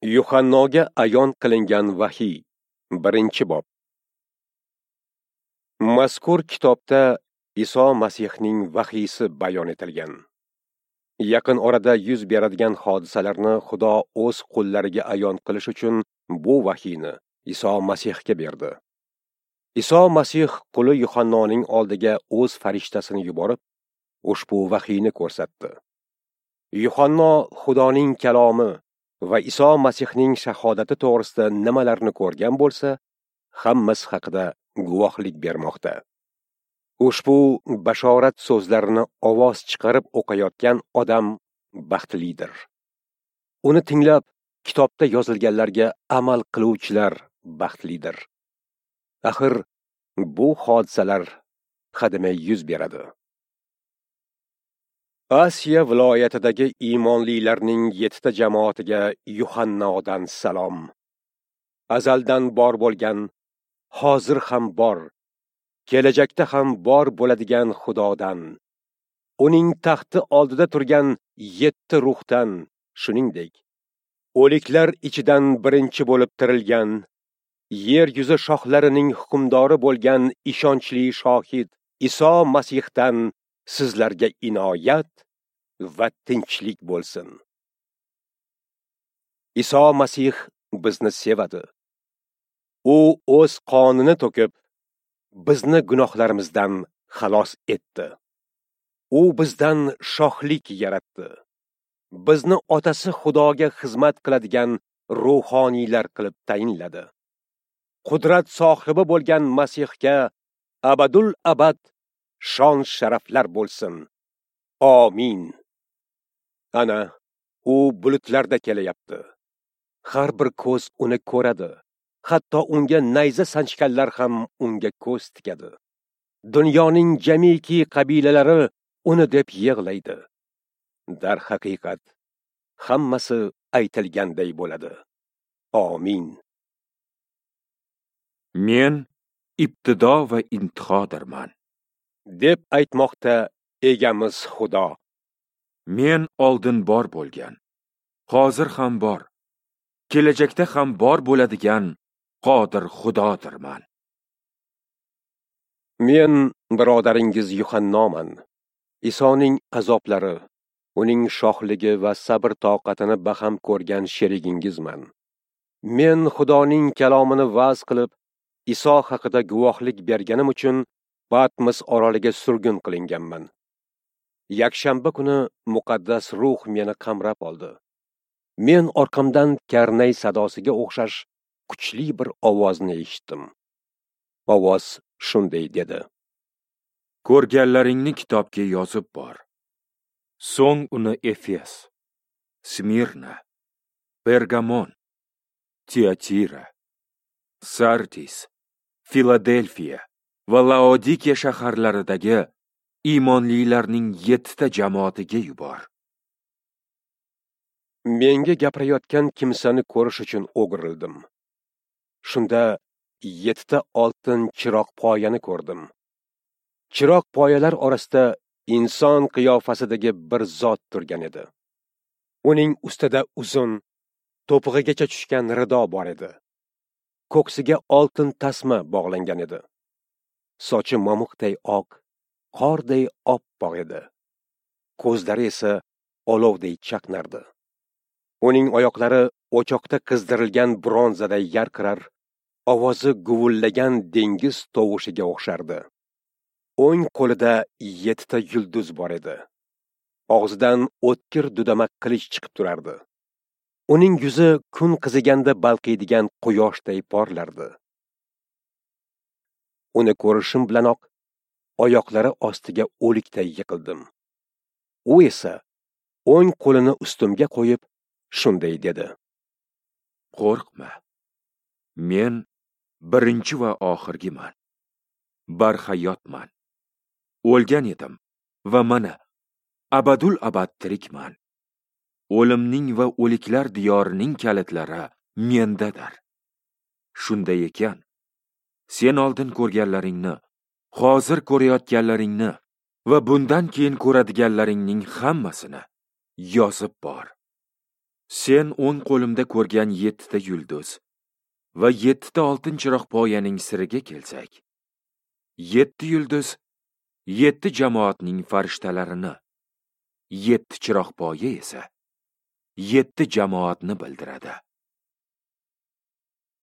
Yuhannoga ayon qilingan vahiy, 1-bob. Mazkur kitobda Iso Masihning vahiysi bayon etilgan. Yaqin orada yuz beradigan hodisalarni Xudo o'z qullariga ayon qilish uchun bu vahiyni Iso Masihga berdi. Iso Masih quli Yuhannoning oldiga o'z farishtasini yuborib, ushbu vahiyni ko'rsatdi. Yuhanno Xudoning kalomi va Iso Masihning shahodati to'g'risida nimalarni ko'rgan bo'lsa, hammasi haqida guvohlik bermoqda. Ushbu bashorat so'zlarini ovoz chiqarib o'qiyotgan odam baxtlidir. Uni tinglab, kitobda yozilganlarga amal qiluvchilar baxtlidir. Axir bu hodisalar hademay yuz beradi. Asiya viloyatidagi iymonlilarning 7 ta jamoatiga Yuhannodan salom. Azaldan bor bo'lgan, hozir ham bor, kelajakda ham bor bo'ladigan Xudodan, uning taxti oldida turgan 7 ruhdan, shuningdek, o'liklar ichidan birinchi bo'lib tirilgan, yer yuzi shohlarining hukmdori bo'lgan ishonchli shohid Iso Masihdan sizlarga inoyat va tinchlik bo'lsin. Iso Masih bizni sevadi. U o'z qonini to'kib, bizni gunohlarimizdan xalos etdi. U bizdan shohlik yaratdi. Bizni otasi Xudoga xizmat qiladigan ruhoniylar qilib tayinladi. Qudrat sohibi bo'lgan Masihga abadul abad shon sharaflar bo'lsin. Amin. Ana, u bulutlarda kelayapti. Har bir ko'z uni ko'radi. Hatto unga nayza sanchganlar ham unga ko'z tikadi. Dunyoning jamiki qabilalari uni deb yig'laydi. Darhaqiqat, hammasi aytilganday bo'ladi. Amin. Men ibtido va intihodirman, deb aytmoqda egamiz Xudo. Men oldin bor bo'lgan, hozir ham bor, kelajakda ham bor bo'ladigan qodir Xudodirman. Men birodaringiz Yuhannoman. Isoning azoblari, uning shohligi va sabr toqatini baham ko'rgan sherigingizman. Men Xudoning kalomini va'z qilib, Iso haqida guvohlik berganim uchun Patmos oroliga surgun qilinganman. Yakshanba kuni muqaddas ruh meni qamrab oldi. Men orqamdan karnay sadosiga o'xshash kuchli bir ovozni eshitdim. Ovoz shunday dedi: Ko'rganlaringni kitobga yozib bor. So'ng uni Efes, Smirna, Pergamon, Tiatira, Sardis, Filadelfiya va Laodikiya shaharlaridagi iymonlilarning 7 ta jamoatiga yubor. Menga gapirayotgan kimsani ko'rish uchun o'girildim. Shunda 7 ta oltin chiroq poyani ko'rdim. Chiroq poyalar orasida inson qiyofasidagi bir zot turgan edi. Uning ustida uzun, to'pig'igacha tushgan rido bor edi. Ko'ksiga oltin tasma bog'langan edi. Sochi momiqday oq, qorday oppoq edi. Ko'zlari esa olovday chaqnardi. Uning oyoqlari o'choqda qizdirilgan bronzaday yarqirar, ovozi guvillagan dengiz tovushiga o'xshardi. O'ng qo'lida 7 ta yulduz bor edi. Og'zidan o'tkir dudama qilich chiqib turardi. Uning yuzi kun qiziganda balqiydigan quyoshday porlardi. Uni ko'rishim bilanoq oyoqlari ostiga o'likday yiqildim. U esa o'ng qo'lini ustimga qo'yib shunday dedi: Qo'rqma. Men birinchi va oxirgiman. Barhayotman. O'lgan edim va mana abadul abad tirikman. O'limning va o'liklar diyorining kalitlari mendadir. Shunday ekan, sen oldin ko'rganlaringni, hozir ko'rayotganlaringni va bundan keyin ko'radiganlaringning hammasini yozib bor. Sen o'ng qo'limda ko'rgan 7 ta yulduz va 7 ta oltin chiroq poyaning siriga kelsak, 7 yulduz 7 jamoatning farishtalarini, 7 chiroq poya esa 7 jamoatni bildiradi.